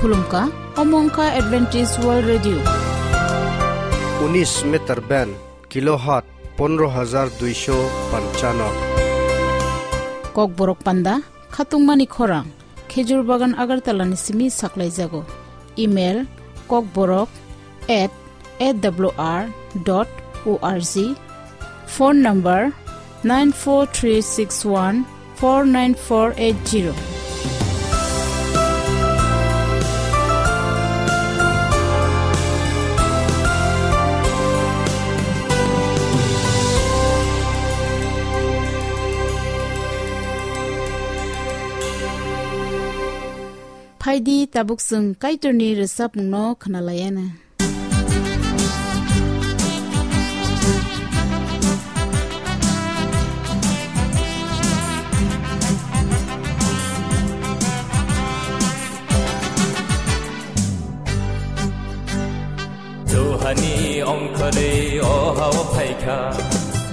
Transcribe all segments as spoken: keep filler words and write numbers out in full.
Khulumkha, omo wngkha Adventist World Radio. Unis meter band, kilohertz pondro hajar duisho panchano. Kokborok panda, khatungmani khorang, Khejur Bagan Agartala ni simi saklaijago. Email, kokborok at A W R dot O R G. Phone number, nine four three six one four nine four eight zero. Phaidi, tabuk chwng Kaitorni rwchapmungno khwnalaiana. Johani ongkhorwi o hao phaikha,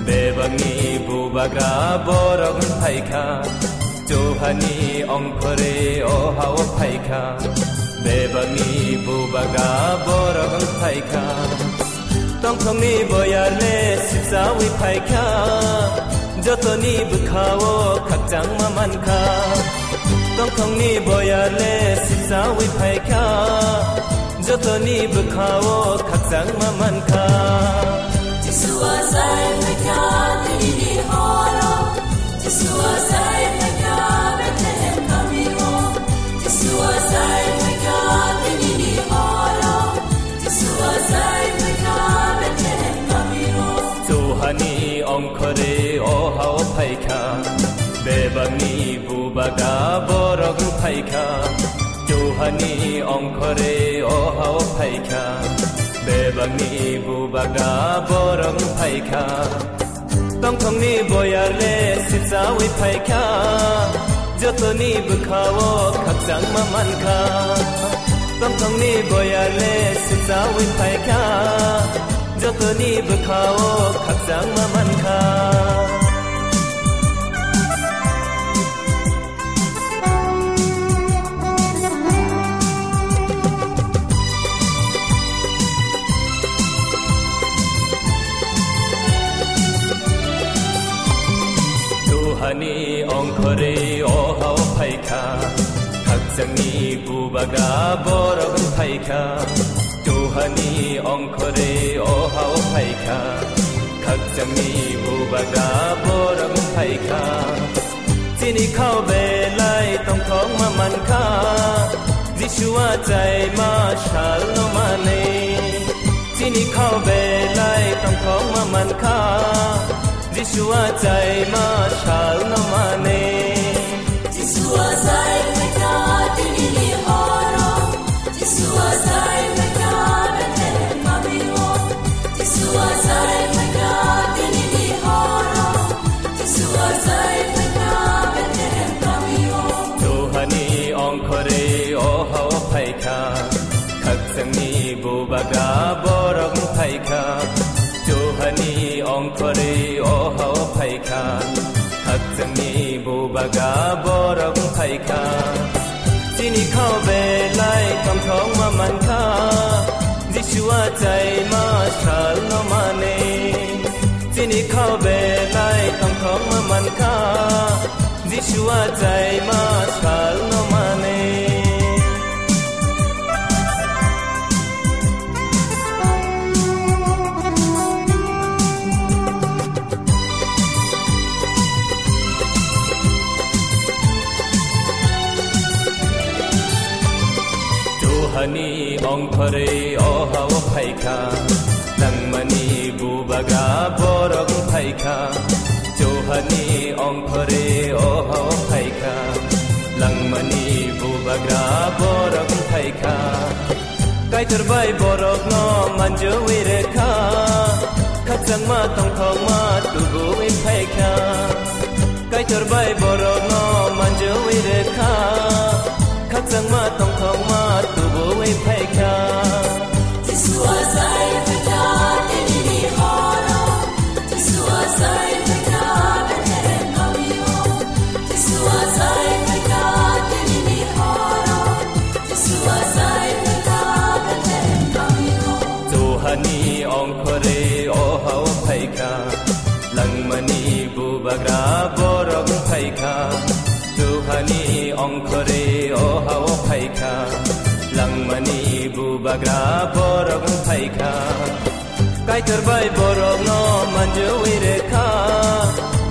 bebakni bubagra borok wng phaikha. Johani ongkhorwi o hao phaikha, bebakni bubagra borok wng phaikha. Tongthokni boyarle sipsawi phaikha, jotoni bwkhao khakchangma mankha. Tongthokni boyarle sipsawi phaikha, jotoni bwkhao khakchangma mankha. Jisua sai phaikha, tinini horo. Jisua sai phaikha, Bethlehem kamio. Jisua sai phaikha, tinini horo. Jisua sai phaikha, Bethlehem kamio. Johani ongkhorwi o hao phaikha, bebakni bubagra borok wng phaikha. Johani ongkhorwi o hao phaikha, bebakni bubagra borok wng phaikha. Tongthokni boyarle sipsawi phaikha, jotoni bwkhao khakchangma mankha. Tongthokni boyarle sipsawi phaikha, jotoni bwkhao khakchangma mankha. Johani ongkhorwi o hao phaikha, khakchangni bubagra borok wng phaikha. Johani ongkhorwi o hao phaikha, khakchangni bubagra borok wng phaikha. Chini khao belai tongthokma mankha, Jisua chaima salno manwi. Chini khao belai tongthokma mankha, Jisua chaima salno manwi. Jisua sai phaikha tinini horo. Jisua sai phaikha Bethlehem kamio. Jisua sai phaikha tinini horo. Jisua sai phaikha Bethlehem kamio. Johani ongkhorwi o hao phaikha, khakchangni bubagra borok wng phaikha. Johani ongkhorwi o hao phaikha, khakchangni bubagra borok wng phaikha. Chini khao belai tongthokma mankha, Jisua chaima salno manwi. Chini khao belai tongthokma mankha, Jisua chaima salno manwi. Johani ongkhorwi o hao phaikha, langmani bubagra borok phaikha. Johani ongkhorwi o hao phaikha, langmani bubagra borok phaikha. Kaitor bai borokno manjui rekha, khakchangma tongthokma tubuwi phaikha. Kaitor bai borokno manjui rekha, khakchangma tongthokma tubuwi phaikha. Jisua sai phaikha tinini horo. Jisua sai phaikha Bethlehem kamio. Jisua sai phaikha tinini horo. Jisua sai Ongkhore o hao phaikha, langmani bubagra borok wng phaikha. Kaitor bai borokno manjui rekha,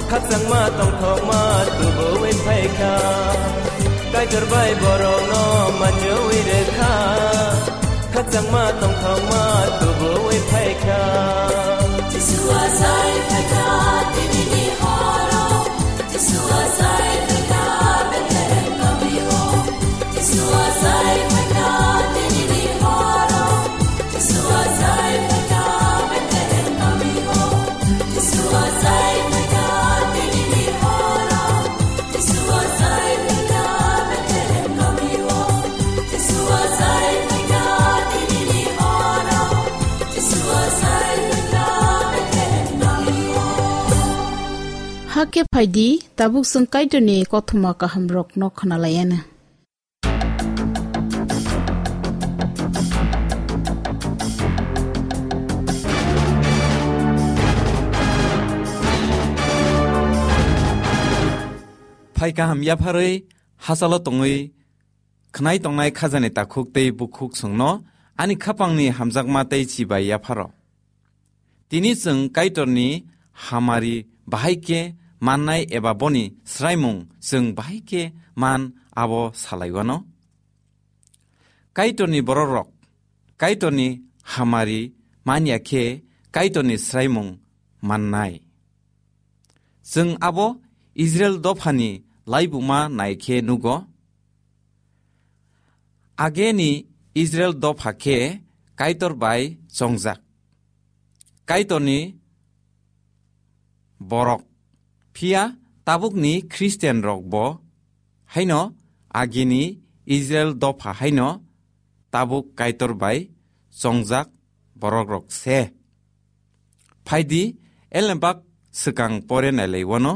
khakchangma tongthokma tubuwi phaikha. Kaitor bai borokno manjui rekha, khakchangma tongthokma tubuwi phaikha. Jisua sai phaikha, tinini horo. Jisua sai phaikha, Bethlehem kamio. Jisua sai phaikha, tinini horo. Jisua sai phaikha, Bethlehem kamio. Jisua sai phaikha, tinini horo. Jisua sai phaikha, Bethlehem kamio. Jisua sai phaikha, tinini horo. Jisua sai phaikha, Bethlehem kamio. Hakhe phaidi, tabuk chwng Kaitorni kothoma kahamrokno khwnalaianw. Phai kaham yapharwi hachalo tongwi khwnai tongnai khajani takhuk tei bukhuk chwngno ani khapangni hamjakma tei chibai yapharo. Tini chwng Kaitorni hamari bahai khe mannai eba boni swraimung chwng bahai khe man abo salaiwano. Kaitorni borokrok Kaitorni hamari manya khe Kaitorni swraimung mannai. Chwng abo Israel dophani laibuma nai khe nugo. Ageni Israel dopha khe Kaitor bai chongjak. Kaitorni borok. Phiya tabukni Christian rok bo haino agini Israel dopha haino tabuk Kaitor bai chongjak borok rok se. Phaidi elembak swkang pore nailai wano.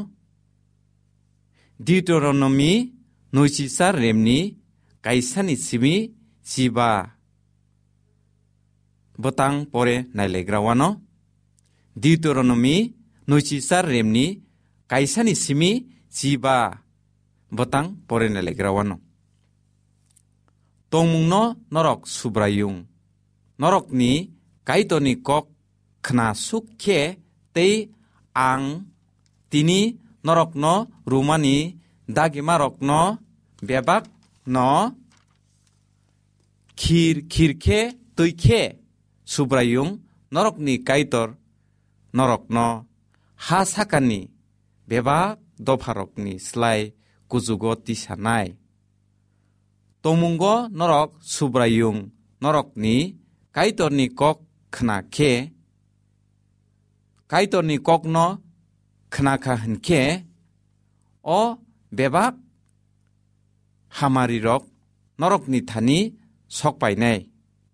Deuteronomy nuichisa remni kaisani simi chiba bwtang pore nailaigra wano. Deuteronomy nuichisa remni kaisani simi chiba bwtang pore nailaigra wano. Tongmungno norok Subraiyung, norokni Kaitorni kok khna suk khe tei ang tini norokno rumani dagimarokno bebakno khir khir khe twi khe Subraiyung norokni Kaitor norokno ha sakani bebak dopharokni slai kuchugo tisanai. Tongmungo norok Subraiyung norokni Kaitorni kok khna khe, Kaitorni kokno khna kha hwn khe, o bebak hamarirok norokni thani sok painai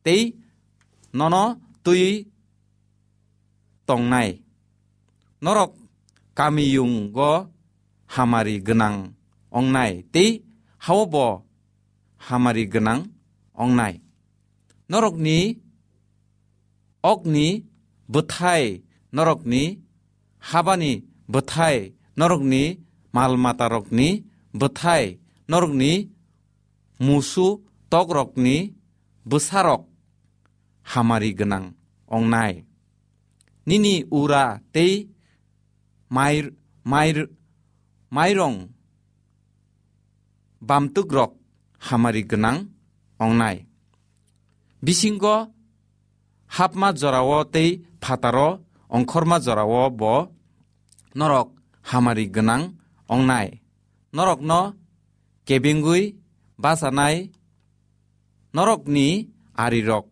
tei nono twi tongnai. Norok kamiyungo hamari gwnang ongnai tei hao bo hamari gwnang ongnai. Norokni okni bwthai, norokni habani bwthai, norokni mal matarokni bwthai, norokni musu tokrokni bwsarok hamari gwnang ongnai. Nini ura tei mai-, mai-, mairong bamtwkrok hamari gwnang ongnai. Bisingo hapma jorao tei phataro ongkhorma jorao bo norok hamari gwnang ongnai. Norokno kebengwi bachanai norokni arirok,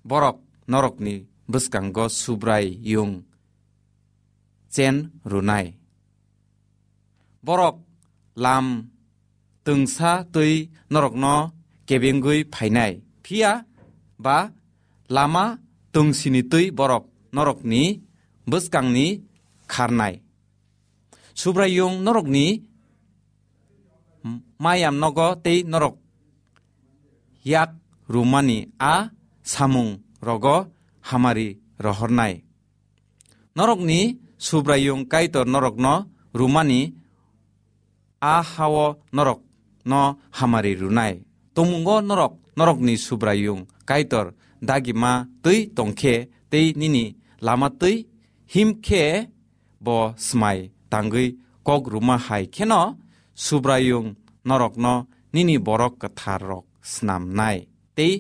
borok norokni bwskango Subraiyung chen rwnai. Borok lam twngsa twi norokno kebengwi phainai, phiya ba lama twngsini twi borok norokni bwskangni kharnai. Subraiyung norokni mayam nogo tei norok yak rumani a samung rogo hamari rohornai. Norokni Subraiyung Kaitor norokno rumani a hao norok no hamari rwnai. Tongmungo norok, norokni Subraiyung Kaitor dagima twi tongkhe tei nini lama twi himkhe bo smai tangwi kok rwma hai kheno Subraiyung norokno nini borok kwtharrok snamnai. Tei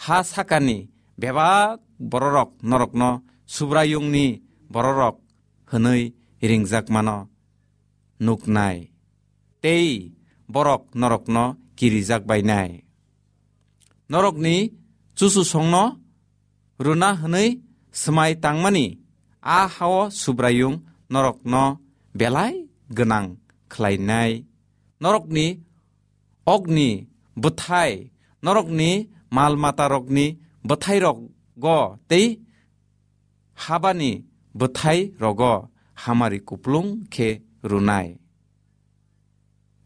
ha sakani bebak bororok norokno Subraiyungni bororok hwnwi ringjakmano nuknai, tei borok norokno kirijak bainai. Norokni chuchusongno rwna hwnwi swmai tangmani a hao Subraiyung norokno belai gwnang khlainai. Norokni okni bwthai, norokni mal matarokni bwthairogo tei habani bwthairogo hamari kuplung khe rwnai.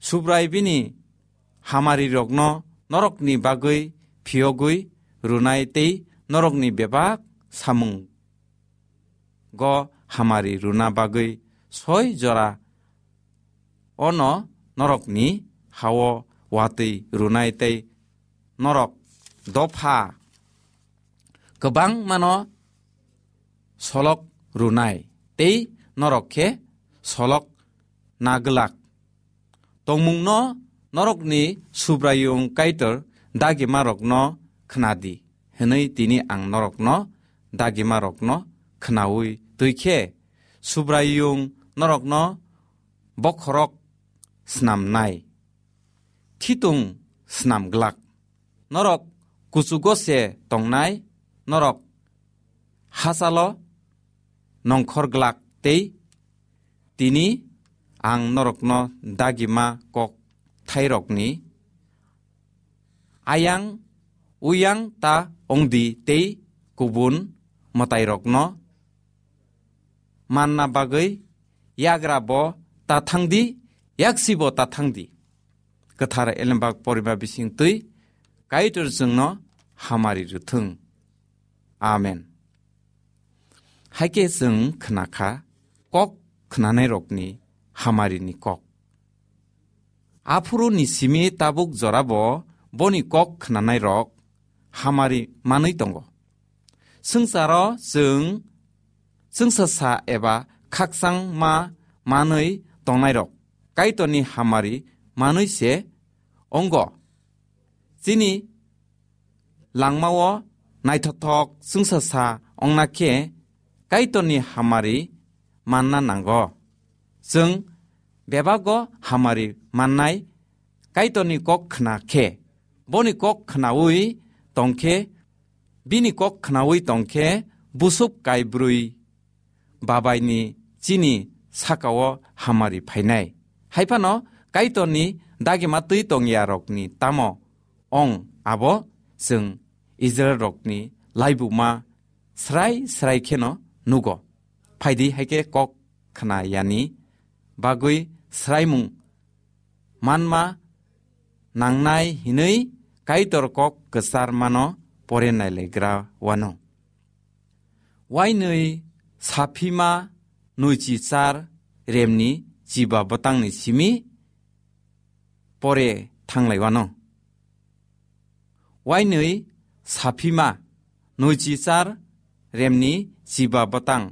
Subrai bini hamarirokno norokni bagwi phiyogwi rwnai tei norokni bebak samung go hamari rwna bagwi soi jora ono norokni hao watwi rwnai tei norok dopha kwbangmano solok rwnai tei norok khe solok naglak. Tongmungno norokni Subraiyung Kaitor dagimarokno khnadi, hwnwi tini ang norokno dagimarokno khnaui twi khe Subraiyung norokno bokhorok snamnai, khitung snamglak. Norok kuchugo se tongnai, norok hachalo nongkhor glak tei tini ang norokno dagima kok thairokni ayang uyang ta ongdi tei kubun mwtairokno manna bagwi yagra bo ta thangdi, yaksi bo ta thangdi. Kwthar elembak porima bising twi Kaitor chwngno hamari rwthwng. Amen. Haikhe chwng khnakha kok khnanairokni hamarini kok. Aphuru ni simi tabuk jorabo boni kok khnanairok hamari manwi tongo. Swngcharo chwng chwngsasa eba khakchangma manwi tongnairok Kaitorni hamari manwi se wngo. Chini langmao naithothok chwngsasa wngna khe Kaitorni hamari manna nango. Chwng bebago hamari mannai Kaitorni kok khna khe, boni kok khnaui tongkhe, bini kok khnaui tongkhe busuk kaibrwi babaini chini sakao hamari phainai. Haiphano Kaitorni dagima twi tongyarokni tamo ong abo chwng Israilrokni laibuma srai srai kheno nugo. Phaidi haikhe kok khna yani bagwi sraimung manma nangnai hinwi Kaitor kok kwchar mano pore nailegra wano. Wainwi saphima nuichi char remni chiba bwtangni simi pore thanglai wano. Wainwi saphima nuichi char remni chiba bwtang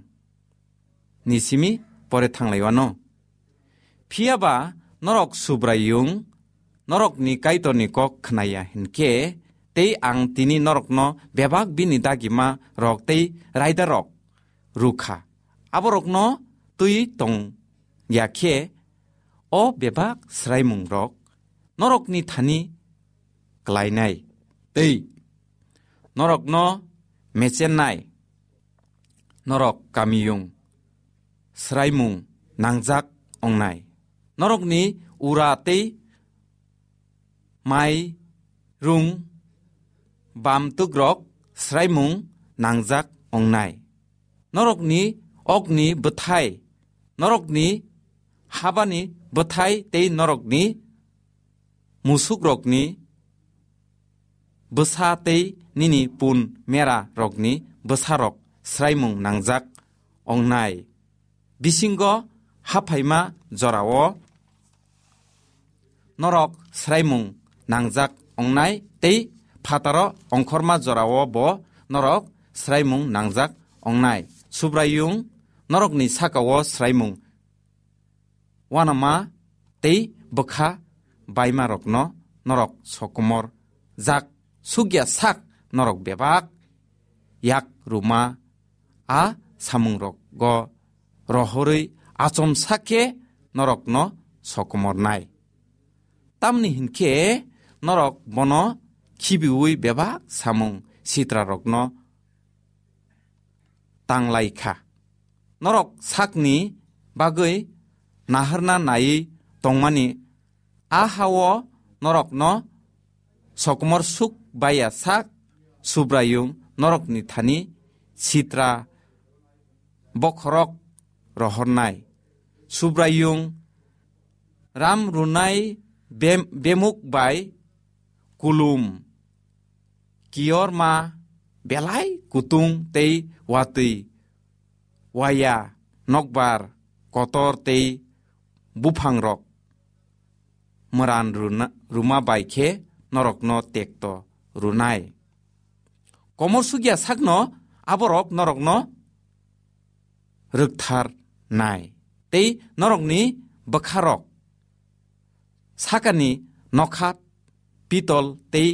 ni simi pore thanglai wano. Phiyaba norok Subraiyung, norokni Kaitorni kok khnaya hinkhe, tei ang tini norokno bebak bini dagima rok tei raida rok rukha. Aborokno twi tong ya khe, o bebak sraimung rok norokni thani klainai tei norokno mechennai. Norok kamiyung sraimung nangjak ongnai. Norokni ura tei mai rung bamtwkrok sraimung nangjak ongnai. Norokni okni bwthai, norokni habani bwthai tei norokni musukrokni bwsa tei nini pun mera rokni bwsarok sraimung nangjak ongnai. Bisingo haphaima jorao norok swraimung nangjak ongnai tei phataro ongkhorma jorao bo norok swraimung nangjak ongnai. Subraiyung norokni sakao swraimung uanama tei bwkha baimarokno norok sokomor jak sukya sak norok bebak yak ruma a samungrogo rohorwi achomsa khe norokno sokomornai. Tamni hinkhe norok bono khibiui bebak samung sitrarokno tanglai kha. Norok sakni bagwi naharna naiwi tongmani a hao norokno sokomor suk baiya sak Subraiyung norokni thani sitra bokhorok rohornai. Subraiyung ram runai bem-, bemuk bai kulum, kiyorma belai kutung tei watwi waya nokbar kotor tei buphangrok mwran runa-, ruma bai khe norokno tekto runai. Komor sukya sakno aborok norokno rwktharnai tei norokni bwkharok sakani nokha pitol tei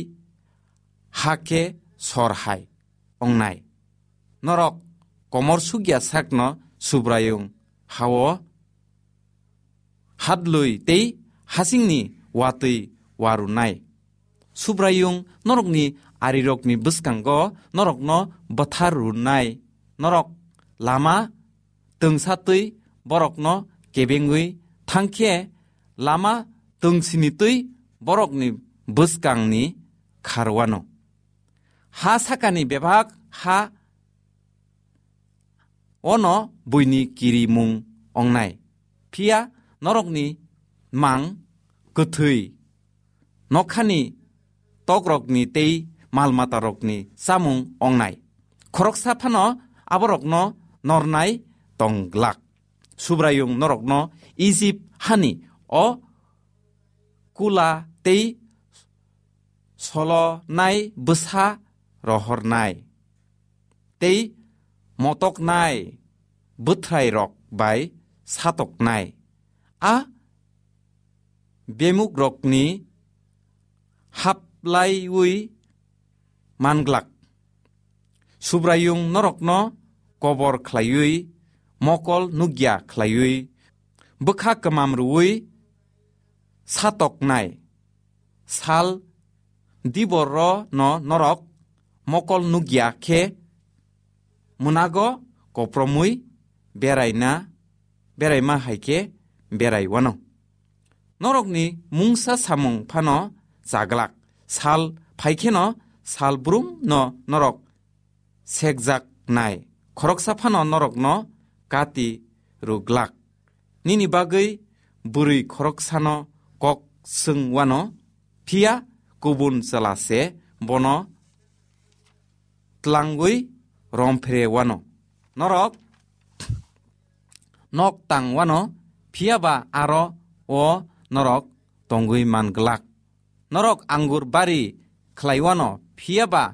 ha khe sor hai ongnai. Norok komor sukya sakno Subraiyung hao hadlwi tei hasingni watwi warunai. Subraiyung norokni arirokni bwskango norokno bwthar runai. Norok lama twngsa twi borokno kebengwi thangkhe lama twngsini twi borokni bwskangni kharwano. Ha sakani bebak ha ono buini kirimung ongnai. Phiya norokni mang kwthwi nokhani tokrokni tei mal matarokni chamung ongnai. Khoroksa phano aborokno nornai tongglak. Subraiyung norokno Ijip hani o kula tei solonai bwsa rohornai tei motoknai bwthrairok bai satoknai. A bemukrokni haplaiwi manglak. Subraiyung norokno kobor khlaiwi, mokol nukya khlaiwi, bwkha kwmam rwui satoknai. Sal diboro no norok mokol nukya khe mwnago kopromwi beraina, beraima hai khe berai wano. Norokni mungsa samung phano chaglak. Sal phai kheno sal brum no norok sekjak nai. Khoroksa phano norokno kati rwglak. Nini bagwi bwrwi khoroksano kok swng wano, phiya kubun chwla se bono tlangwi romphre wano. Norok nok tang wano, phiya ba aro o norok tongwi man glak. Norok angur bari khlai wano, phiya ba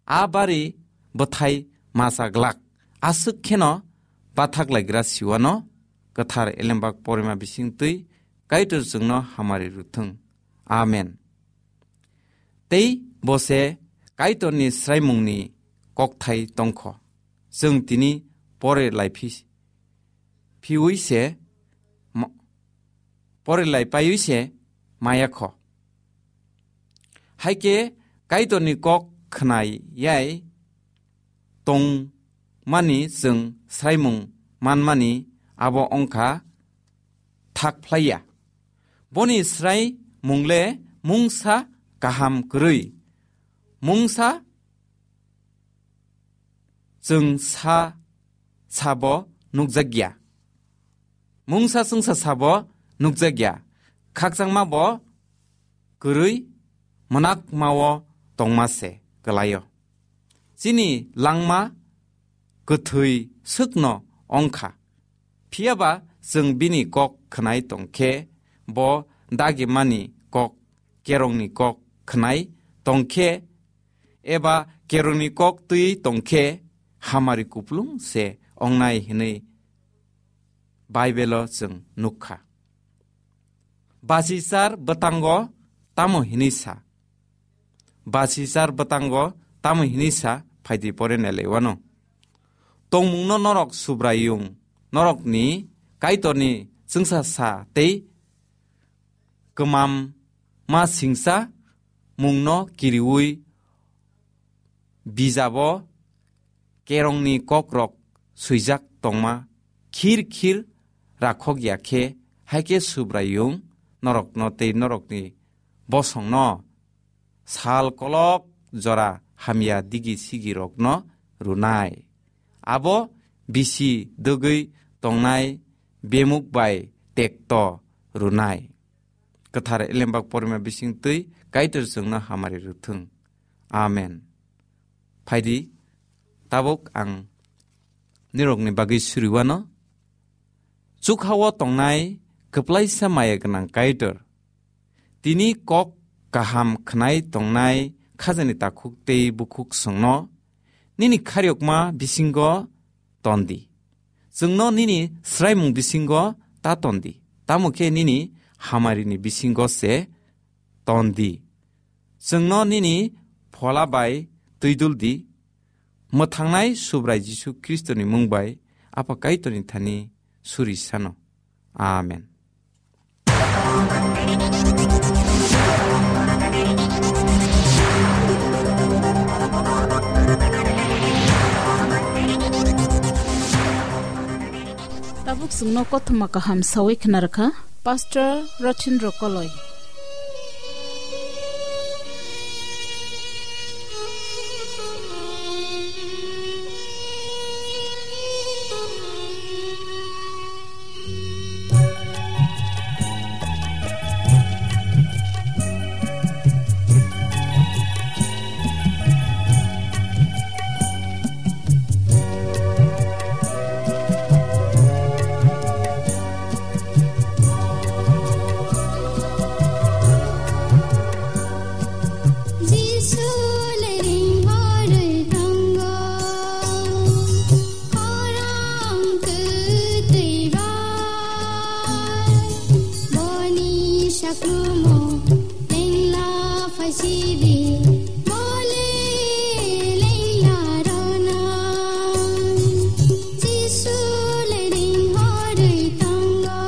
a bari bwthai masa glak. Aswk kheno bathak laigra siwano kwthar elembak porima bising twi Kaitor chwngno hamari rwthwng. Amen. Tei bo se Kaitorni swraimungni kokthai tongkho. Chwng tini pore lai phi-, phiui se mo-, pore lai paiui se maya kho. Hai khe Kaitorni kok khna yai tongmani chwng swraimung manmani abo wngkha thak phlai ya. Boni swraimung le mungsa kaham kwrwi, mungsa chwng sa sabo nukjakya. Mungsa chwngsa sabo nukjakya. Khakchangma bo kwrwi mwnakmao tongma se kwlaio. Chini langma kwthwi swkno ongkha. Phiya ba chwng bini kok khwnai tong khe bo dagimani kok, kerongni kok khnai tongkhe eba kerongni kok twi tongkhe hamari kuplung se ongnai hwnwi Bible-o chwng nukha. Basichar bwtango tamo hwnwi sa? Basichar bwtango tamo hwnwi sa? Phaidi pore nelaiwano. Tongmungno norok Subraiyung, norokni Kaitorni chwngsa sa tei kwmam ma singsa mungno kiriui bijabo kerongni kokrok swijak tongma khir khir rakhok ya khe, hai khe Subraiyung norokno tei norokni bosongno sal kolok jora hamya digi sigirokno rwnai. Abo bisi dwgwi tongnai bemuk bai tekto rwnai. Kwthar elembak porima bising twi Kaitor chwngno hamari rwthwng. Amen. Phaidi, tabuk ang nirokni bagwi suriwano. Chukhao tongnai kwplaisa maya gwnang Kaitor, tini kok kaham khnai tongnai khajani takhuk tei bukhuk songno nini khariyokma bisingo tondi. Chwngno nini swraimung bisingo ta tondi. Tamo khe nini hamarini bisingo se tondi. Chwngno nini phola bai twidul di. Mwthangnai Subrai Jisu Khristoni mung bai Apha Kaitorni thani suri sano. Amen. Tabuk chwngno kothoma kaham sawi khna rwkha Pastor Rothin Rokoloi. Jisu leireng horwi tongo, khorang kwtwi bai, boni saklumo lengla phaisidi, bole lengla rona. Jisu leireng horwi tongo,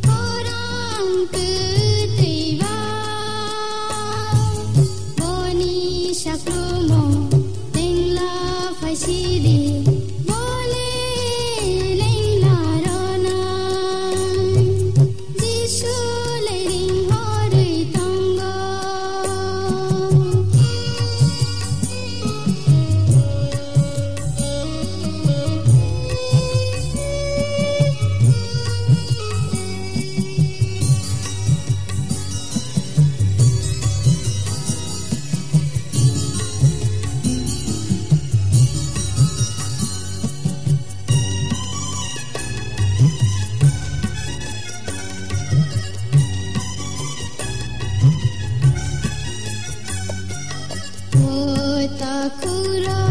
khorang kwtwi bai, boni saklumo lengla phaisidi, bole lengla rona. Jisu leireng horwi tongo. O takhukro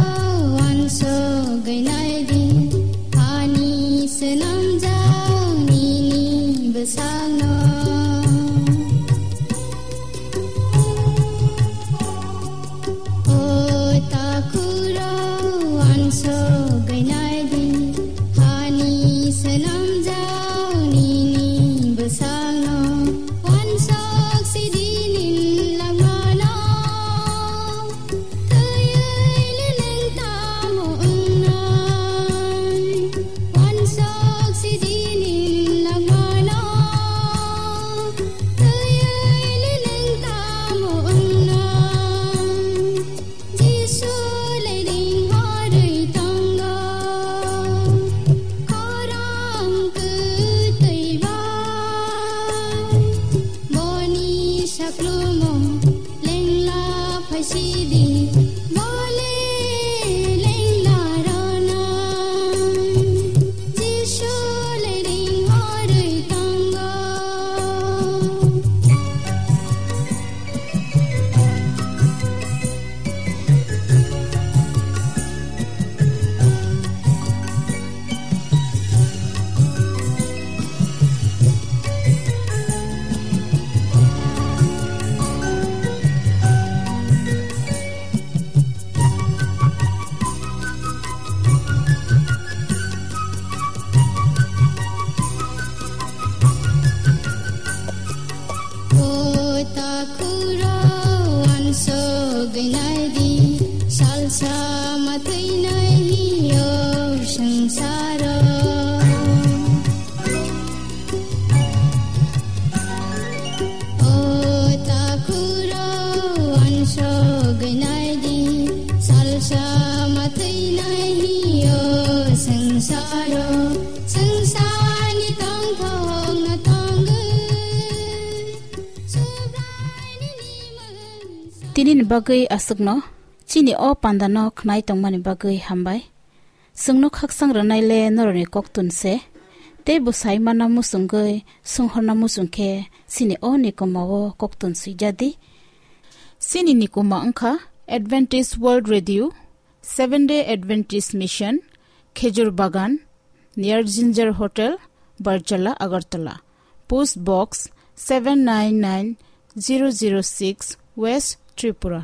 uansugwi naidi, ani swnamjak nini bwsakno. O takhukro uansugwi naidi, ani swnamjak nini bwsakno. Uansuk sidi nini langmano, thwiwi le nwng tamo wngnai? Uansuk sidi nini langmano, thwiwi le nwng tamo wngnai? Jisu leireng horwi tongo, khorang kwtwi bai, boni saklumo lengla phaisidi, bole lengla rona. Jisu leireng horwi tongo. Salsa matwinai yo sangsaro. O takuro ansognaidi salsa matwinai yo sangsaro. Sangsani tongthokno tongwi. Tini ni bagwi aswkno, chini o pandano khnai tongmani bagwi hambai. Chwngno khaksang rwnai le norokni koktun se, tei bo sai manna muchungwi, swnghorna muchung khe chini o nikoma o koktun swijadi. Chini nikoma wngkha Adventist World Radio, Seventh Day Adventist Mission, Khejur Bagan, near Ginger Hotel, Barjala, Agartala. Post Box seven nine nine zero zero six, West Tripura.